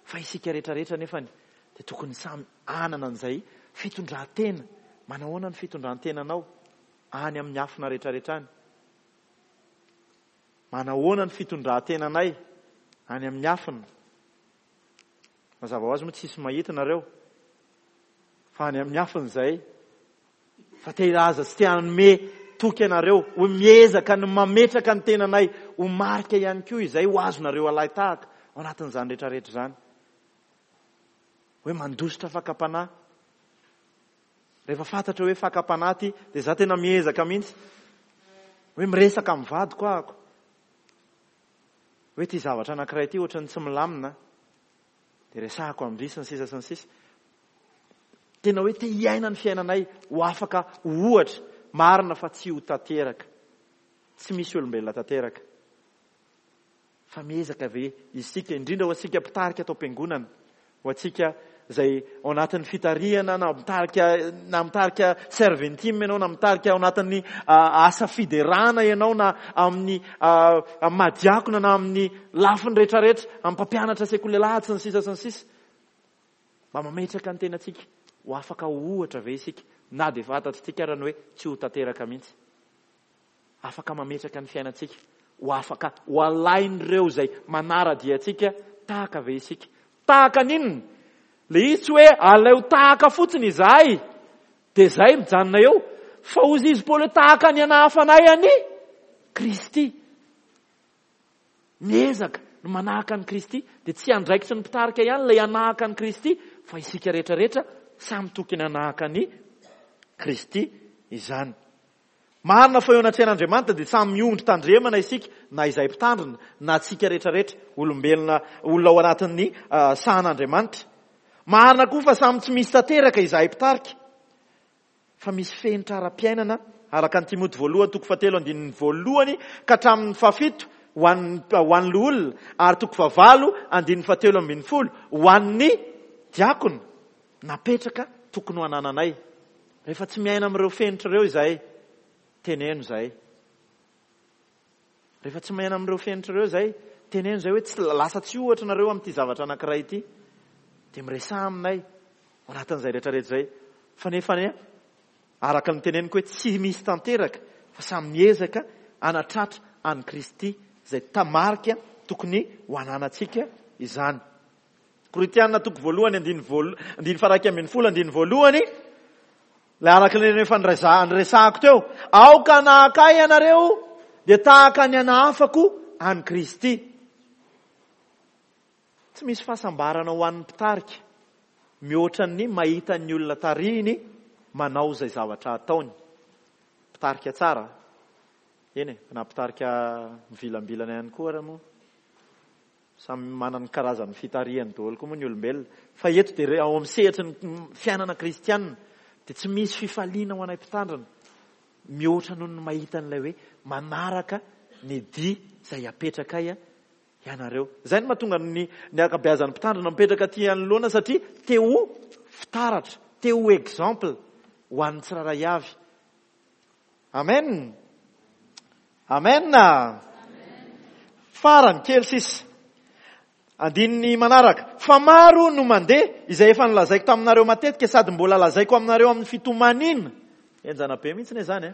fa isika rehetra rehetra nefany dia tokony samy hanana an'izay fitondran-tena. Manahoana ny fitondran-tenanao any amin'ny afina rehetrarehetra any? Manahoana ny fitondran-tenanay any amin'ny afina? Mazava ho azy moa tsisy mahita nareo fa any amin'ny afina izay fa te hilaza sy te hanome toky anareo ho miezaka ny mametraka ny tenanay ho marika ihany koa izay ho azonareo alahy tahaka ao anatin'izany rehetrarehetra izany. Hoe mandositra fakam-panahy. Rehefa fantatra hoe fakam-panahy ity, dia za tena miezaka mihitsy. Hoe miresaka amin'ny vadiko ahako. Hoe ity zavatra anankiray ity ohatran'ny tsy milamina. Dia resahako amin-dry sy ny sisa sy ny sisa. Tena hoe te hiaina ny fiainanay ho afaka ho ohatra marina fa tsy ho tanteraka. Tsy misy olombelona tanteraka. Fa miezaka ve isika, indrindra ho antsika mpitarika ato am-piangonana, ho antsika izay ao anatin'ny fitarihana na mitarika na mitarika serventime ianao na mitarika ao anatin'ny asa fiderana ianao na amin'ny amin'ny madiakona na amin'ny lafiny rehetrarehetra, amin'ny mpampianatra sekoly alahady sy ny sisa sy ny sisa. Mba mametraka ny tenantsika ho afaka ho ohatra ve isika na dia fantatritsika ara ny hoe tsy ho tanteraka mihitsy. Afaka mametraka ny fiainantsika ho afaka ho alain'ireo izay manara-dia antsika tahaka ve isika? Tahaka ny inona? Ilay izy tsy hoe aleo tahaka fotsiny izahay dia izay mijanona eo, fa hozy izy Paoly hoe tahaka ny anahafanay an'i Kristy. Miezaka ny manahaka an'i Kristy dia tsy andraikitry ny mpitarika ihany ilay hanahaka an'i Kristy fa isika rehetra rehetra samy tokony hanahaka an'i Kristy izany. Marina fa eo anatrehan'Andriamanitra dia samy miondry tandremana isika, na izay mpitandrina, na antsika rehetrarehetra, olombelona, olona ao anatin'ny sahan'Andriamanitra. Marina koa fa samy tsy misy tanteraka izahay mpitarika, fa misy fenitra ara-piainana, araka ny Timoty voalohany toko fahatelo andininy voalohany ka hatramin'ny fahafito ho an'ny ho an'ny loholona, ary toko fahavalo andininy fahatelo ambin'ny folo ho an'ny diakona. Napetraka tokony ho anananay. Rehefa tsy miaina amin'ireo fenitra ireo izahay, teneno izahay. Rehefa tsy miaina amin'ireo fenitra ireo izahay, teneno izahay hoe tsy lasa tsy ohatra nareo amin'ity zavatra anankiray ity. Dia miresaha aminay ao anatin'izay rehetra rehetra izay. Fa nefa anie, araka ny teneniko hoe tsy misy tanteraka fa samy miezaka hanatratra an'i Kristy izay tamarika tokony ho ananantsika izany. Korintiana toko voalohany andininy voalo andininy faha 11 andininy voalohany ilay araka ilay efa niresahako teo aoka hanahaka ahy ianareo dia tahaka ny anahafako an'i Kristy tsy misy fahasambarana ho an'ny mpitarika mihoatra ny mahita ny olona tarihiny manao izay zavatra ataony mpitarika tsara eny e na mpitarika mivilambilana ihany koa ara moa Samy manana ny karazan'ny fitarihany daholo koa moa ny olombelona. Fa eto dia ao amin'ny sehatry ny fiainana kristianina dia tsy misy fifaliana ho anay mpitandrina mihoatra noho ny mahita an'ilay hoe manaraka ny dia izay apetrakay ianareo. Izay no mahatonga ny ny ankabeazan'ny mpitandrina mipetraka aty anoloana satria te ho fitaratra, te ho exemple ho an'ny tsirairay avy. Amen. Amen. Farany, kely sisa. Andininy manaraka. Fa maro no mandeha, izay efa nolazaiko taminareo matetika sady mbola lazaiko aminareo amin'ny fitomaniana. Henjana be mihitsy anie izany e.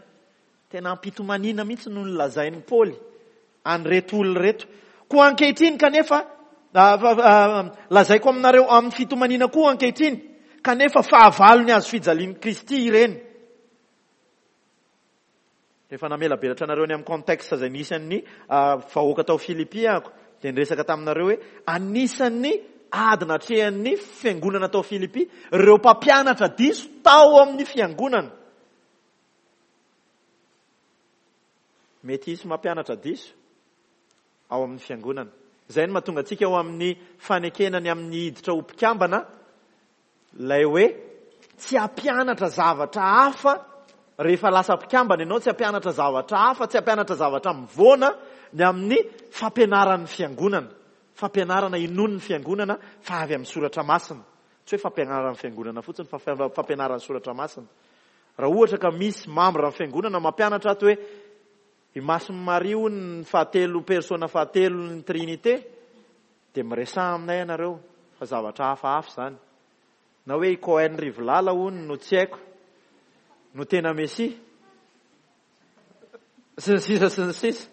Tena am-pitomaniana mihitsy no nolazain'i Paoly an'ireto olona ireto. Koa ankehitriny kanefa, lazaiko aminareo amin'ny fitomaniana koa ankehitriny, kanefa fahavalon'ny hazo fijalian'i Kristy ireny. Rehefa namelabelatra anareo ny amin'ny contexte izay nisy an'ny vahoaka tao Filipy aho, dia niresaka taminareo hoe anisan'ny ady natrehan'ny fiangonana tao Filipy ireo mpampianatra diso tao amin'ny fiangonana. Mety hisy mampianatra diso ao amin'ny fiangonana. Izay no mahatonga antsika ao amin'ny fanekena ny amin'ny hiditra ho mpikambana ilay hoe tsy hampianatra zavatra hafa rehefa lasa mpikambana ianao, tsy hampianatra zavatra hafa, tsy hampianatra zavatra mivoana ny amin'ny fampianaran'ny fiangonana. Fampianarana inoan'ny fiangonana fa avy amin'ny soratra masina. Tsy hoe fampianaran'ny fiangonana fotsiny fa fampianaran'ny soratra masina. Raha ohatra ka misy membre ny fiangonana mampianatra ato hoe i Masin'i Maria hono ny fahatelo persona fahatelo ny Trinité dia miresaha aminay ianareo fa zavatra hafahafa izany. Na hoe i Cohen Rivolala hono no tsy haiko no tena Mesia sy ny sisa sy ny sisa.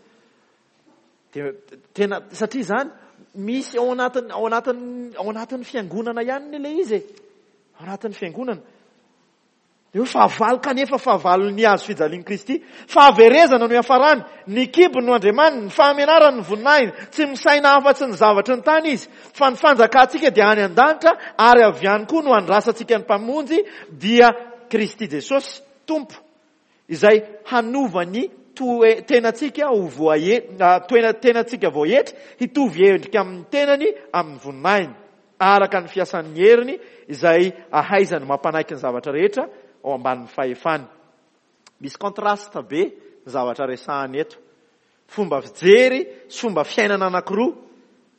Dia tena satria izany misy ao anatin'ny ao anatin'ny ao anatin'ny fiangonana ihany ilay izy e. Ao anatin'ny fiangonana. Dia hoe fahavalo kanefa fahavalon'ny hazo fijalian'i Kristy. Fahaverezana no iafarany, ny kibony no andriamaniny, ny fahamenarany ny voninahiny. Tsy misaina afa-tsy ny zavatry ny tany izy, fa ny fanjakantsika dia any an-danitra ary avy any koa no andrasantsika ny Mpamonjy dia Kristy Jesosy Tompo, izay hanova ny toe tenantsika ho voae toena tenantsika voaetry hitovy endrika amin'ny tenany amin'ny voninahiny. araka ny fiasan'ny heriny izay ahaizany mampanaiky ny zavatra rehetra ao ambanin'ny fahefany. Misy contraste be ny zavatra resahany eto. Fomba fijery sy fomba fiainana anankiroa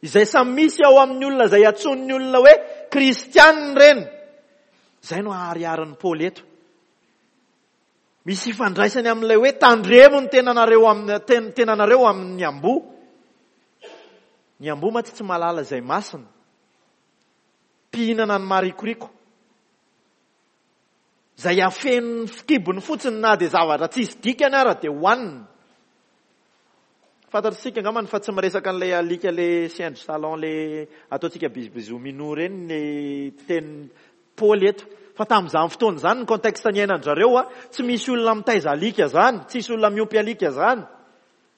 izay samy misy ao amin'ny olona izay antsoin'ny olona hoe kristianina ireny. Izay no ahariharin'i Paoly eto. Misy ifandraisany amin'ilay hoe tandremo ny tenanareo amin'ny tenanareo amin'ny amboa. Ny amboa mantsy tsy mahalala izay masina. Mpihinana ny marikoriko. Izay afeniny fikibony fotsiny na dia zavatra tsisy dikany ara dia hohaniny. Fantatr'isika angambany fa tsy miresaka an'ilay alika le chien de salon le ataontsika bisous minou ireny ny tenin'i Paoly eto. Fa tamin'izany fotoana izany ny contexte niainan-dry zareo a, tsy misy olona mitaiza alika izany, tsisy olona miompy alika izany.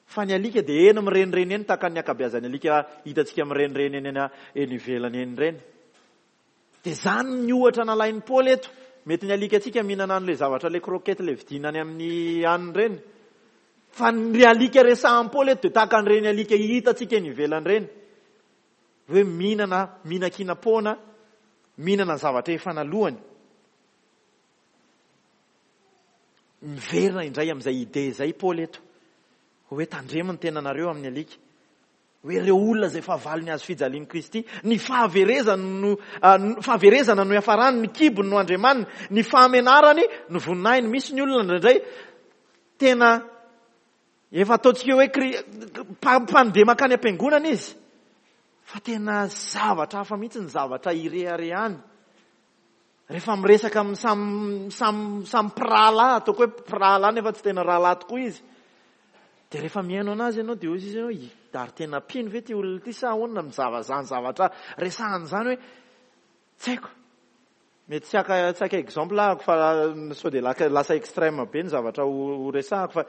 Fa ny alika dia eny mirenireny eny tahaka ny ankabeazan'ny alika hitantsika mirenireny eny eny ivelany eny ireny. Dia izany ny ohatra nalain'i Paoly eto. Mety ny alikantsika mihinana an'ilay zavatra ilay croquette ilay vidiana any amin'ny anona ireny. Fa ny alika resahan'i Paoly eto dia tahaka an'ireny alika hitantsika eny ivelany ireny. Hoe mihinana, mihinan-kinam-poana, mihinana ny zavatra efa nalohany. Miverina indray amin'izay idée izay Paoly eto. Hoe tandremo ny tenanareo amin'ny alika. Hoe ireo olona izay fahavalon'ny hazo fijalian'i Kristy, ny fahaverezany no, fahaverezana no iafarany, ny kibony no andriamaniny, ny fahamenarany no voninahiny. Misy ny olona indraindray tena efa ataontsika hoe kri-, mpandeha mankany am-piangonana izy, fa tena zavatra hafa mihitsy ny zavatra ireharehany. Rehefa miresaka amin'ny samy, samy, samy mpirahalahy, ataoko hoe mpirahalahy nefa tsy tena rahalahy tokoa izy, dia rehefa mihaino anazy ianao dia hoy izy hoe, ary tena mpino ve ity olona ity sa ahoana ny zava-, izany zavatra resahany izany hoe, tsy haiko. Mety tsy haka, tsy haka exemple ahako fa sao dia laka, lasa extrême be ny zavatra ho, ho resahako fa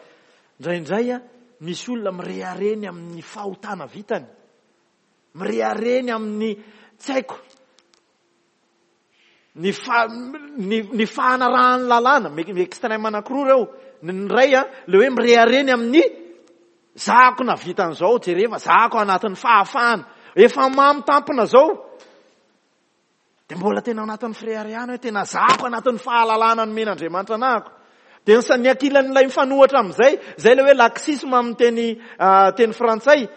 indraindray an, misy olona mirehareha ny amin'ny fahotana vitany. Mirehareha ny amin'ny, tsy haiko, Ny fa, ny, ny fahanarahan'ny lalàna, ny extrême anankiroa ireo. Ny iray an, ilay hoe mirehareha ny amin'ny zahako nahavita an'izao, jereva zahako anatin'ny fahafahana. Efa mamo tampona izao. Dia mbola tena anatin'ny fireharehana hoe tena zahako anatin'ny fahalalana nomen'Andriamanitra anahako. Dia ny sa-, ny ankilan'ilay mifanohitra amin'izay, izay ilay hoe laxisme amin'ny teny, teny frantsay.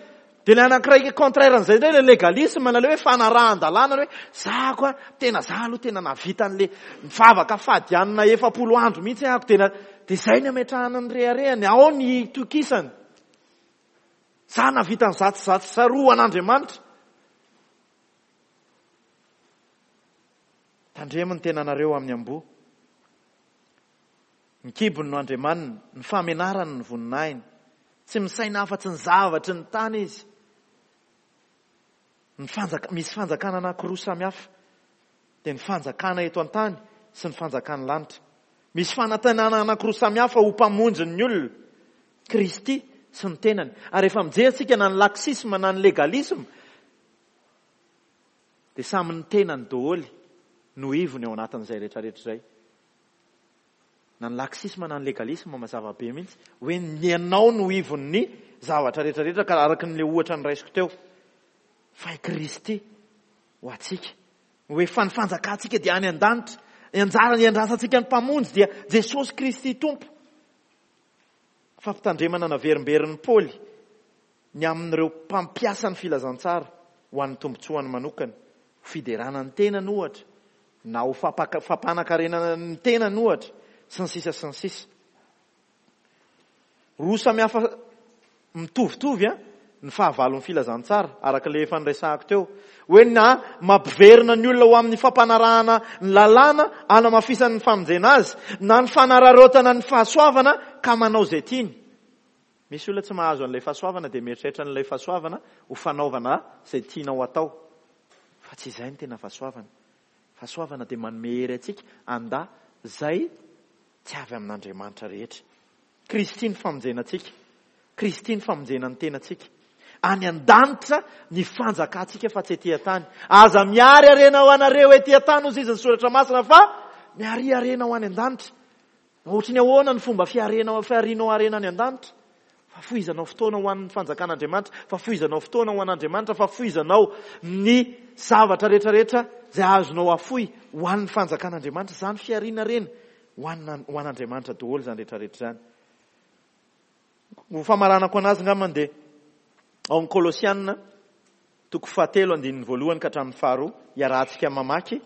Dia ilay anankiray contraire an'izay indray ilay légalisme na ilay hoe fanarahan-dalàna hoe za ko a, tena za aloha tena nahavita an'ilay mivavaka fady hanina 40 andro mihitsy ahako tena, dia izay ny ametrahana ny reharehany, ao ny itokisany. Za nahavita an'izatsy zatsy zaroa ho an'Andriamanitra. Tandremo ny tenanareo amin'ny amboa. Ny kibony no andriamaniny, ny fahamenarany no voninahiny. Tsy misaina afa-tsy ny zavatry ny tany izy. Ny fanjaka, misy fanjakana anankiroa samy hafa, dia ny fanjakana eto an-tany sy ny fanjakan'ny lanitra. Misy fanantenana anankiroa samy hafa ho mpamonjy ny olona, Kristy sy ny tenany. Ary rehefa mijery isika na ny laxisme na ny legalisme, dia samy ny tenany daholo no ivony ao anatin'izay rehetrarehetra izay. Na ny laxisme na ny legalisme mazava be mihitsy hoe ny anao no ivon'ny zavatra rehetrarehetra ka araka ny le ohatra noraisiko teo. Fa i Kristy ho antsika. Hoe fa ny fanjakantsika dia any an-danitra. Ny anjara iandrasantsika ny Mpamonjy dia Jesosy Kristy Tompo. Fampitandremana naverimberin'i Paoly ny amin'ireo mpampiasa ny filazantsara ho an'ny tombontsoany manokana, ho fiderana ny tenany ohatra, na ho fampanankarenana ny tenany ohatra, sy ny sisa sy ny sisa. Roa samy hafa mitovitovy an, ny fahavalon'ny filazantsara, araka ilay efa niresahako teo. Hoe na mampiverina ny olona ho amin'ny fampanarahana ny lalàna hanamafisany ny famonjena azy, na ny fanararaotana ny fahasoavana ka manao izay tiany. Misy olona tsy mahazo an'ilay fahasoavana dia mieritreritra an'ilay fahasoavana ho fanaovana izay tianao atao. Fa tsy izay no tena fahasoavana. Fahasoavana dia manome hery antsika handà izay tsy avy amin'Andriamanitra rehetra. Kristy ny famonjena antsika. Kristy ny famonjena ny tenantsika. Any an-danitra ny fanjakantsika fa tsy ety an-tany. Aza miary harena ho anareo ety an-tany hozy izy ny soratra masina fa miaria harena ho any an-danitra. Ohatry ny ahoana ny fomba fiarenao fiarinao harena any an-danitra? Fahafoizanao fotoana ho an'ny fanjakan'Andriamanitra, fahafoizanao fotoana ho an'Andriamanitra, fahafoizanao ny zavatra rehetrarehetra izay azonao afoy ho an'ny fanjakan'Andriamanitra. Izany fiariana harena ho an' ho an'Andriamanitra daholo izany rehetrarehetra izany. Ho famaranako anazy angambany dia ao amin'ny Kolosiana toko fahatelo andininy voalohany ka hatramin'ny faharoa iarahantsika mamaky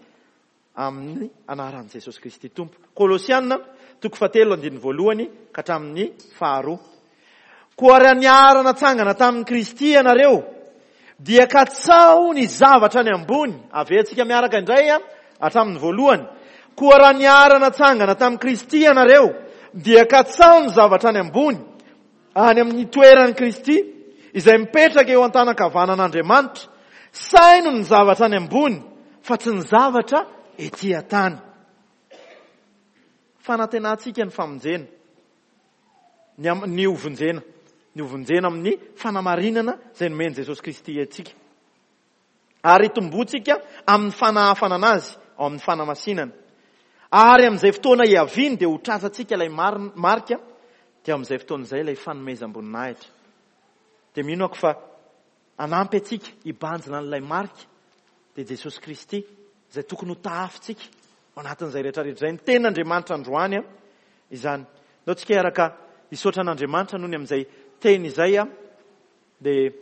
amin'ny anaran'i Jesosy Kristy Tompo. Kolosiana, toko fahatelo andininy voalohany ka hatramin'ny faharoa. Koa raha niara-natsangana tamin'i Kristy ianareo, dia katsaho ny zavatra any ambony. Averintsika miaraka indray hatramin'ny voalohany. Koa raha niara-natsangana tamin'i Kristy ianareo, dia katsaho ny zavatra any ambony, any amin'ny toeran'i Kristy, izay mipetraka eo an-tanan-kavanan'Andriamanitra. Saino ny zavatra any ambony, fa tsy ny zavatra ety an-tany. Fanantenantsika ny famonjena, ny am, ny hovonjena, ny hovonjena amin'ny fanamarinana izay nomen'i Jesosy Kristy antsika. Ary hitomboantsika amin'ny fanahafana anazy ao amin'ny fanamasinana. Ary amin'izay fotoana hiaviany dia ho tratrantsika ilay marika, dia amin'izay fotoana izay ilay fanomezam-boninahitra. Dia mino ako fa hanampy antsika hibanjina an'ilay marika dia Jesosy Kristy izay tokony ho tahafintsika ao anatin'izay rehetra rehetra izay. Ny tenin'Andriamanitra androany izany. Ndao tsika hiaraka hisaotra an'Andriamanitra noho ny amin'izay teny izay dia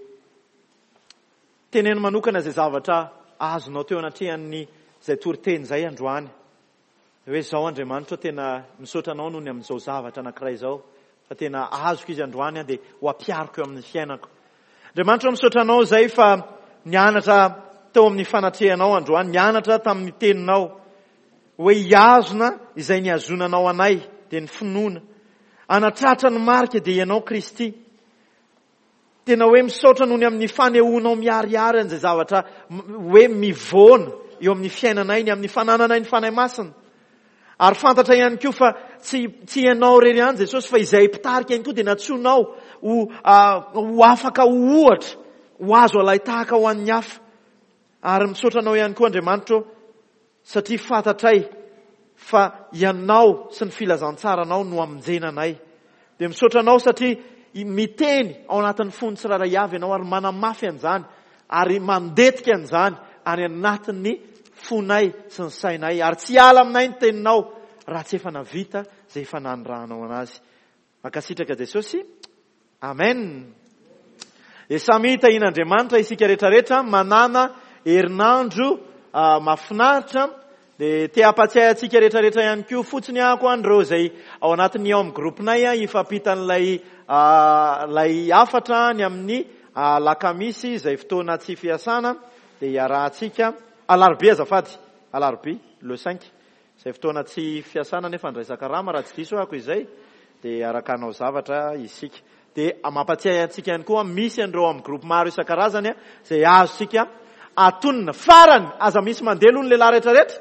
Teneno manokana izay zavatra azonao teo anatrehan'ny izay toriteny izay androany. Hoe izao Andriamanitra ô tena misaotra anao noho ny amin'izao zavatra anankiray izao fa tena azoko izy androany aho dia ho ampihariko eo amin'ny fiainako. Andriamanitra ô misaotra anao izay fa nianatra teo amin'ny fanatrehanao androany, nianatra tamin'ny teninao hoe hihazona izay nihazonanao anay dia ny finoana. Hanatratra ny marika dia ianao Kristy. Tena hoe misaotra noho ny amin'ny fanehoanao miharihary an'izay zavatra hoe mivoana eo amin'ny fiainanay, ny amin'ny fanananay ny Fanahy Masina. Ary fantatra ihany koa fa tsy, tsy ianao irery ihany Jesosy fa izay mpitarika ihany koa dia nantsoinao ho, ho afaka ho ohatra, ho azo alain-tahaka ho an'ny hafa. Ary misaotra anao ihany koa Andriamanitra ô, satria fantatray fa Ianao sy ny filazantsaranao no hamonjena anay. Dia misaotra Anao satria miteny ao anatin'ny fon'ny tsirairay avy Ianao ary manamafy an'izany ary mandetika an'izany any anatin'ny fonay sy ny sainay ary tsy hiala aminay ny teninao raha tsy efa navita izay efa nanirahanao anazy. Mankasitraka Jesosy. Amen. Dia samy tahian'Andriamanitra isika rehetra rehetra manana herinandro mahafinaritra. Dia te hampatsiahy antsika rehetrarehetra ihany koa fotsiny aho an'ireo izay ao anatin'ny ao amin'ny groupe-nay hifampita an'ilay ilay hafatra ny amin'ny alakamisy izay fotoana tsy fiasana dia hiarahantsika alarobia azafady, alarobia le cinq izay fotoana tsy fiasana nefa andraisan-karama raha tsy diso ahako izay dia hiaraka hanao zavatra isika. Dia mampatsiahy antsika ihany koa misy an'ireo amin'ny groupe maro isan-karazany izay azontsika atonina. Farany, aza misy mandeha aloha ny lehilahy rehetrarehetra.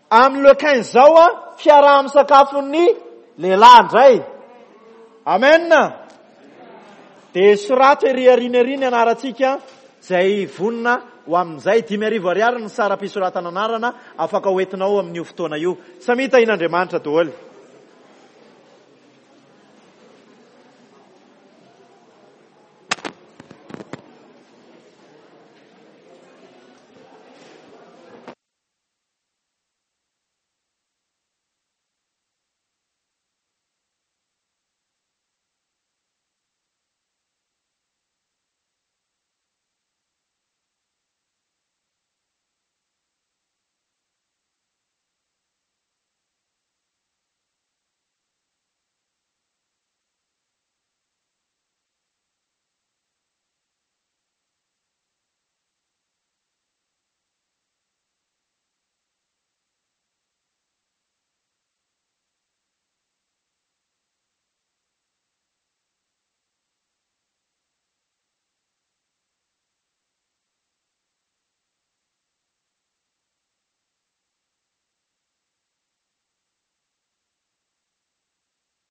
Amin'ny le quinze izao fiaraha-misakafon'ny lehilahy indray. Amen. Dia sorato ery aoriana ery ny anarantsika izay vonona ho amin'izay. 5000 ariary ny saram-pisoratana anarana afaka hoentinao amin'io fotoana io. Samia tahian'Andriamanitra daholo.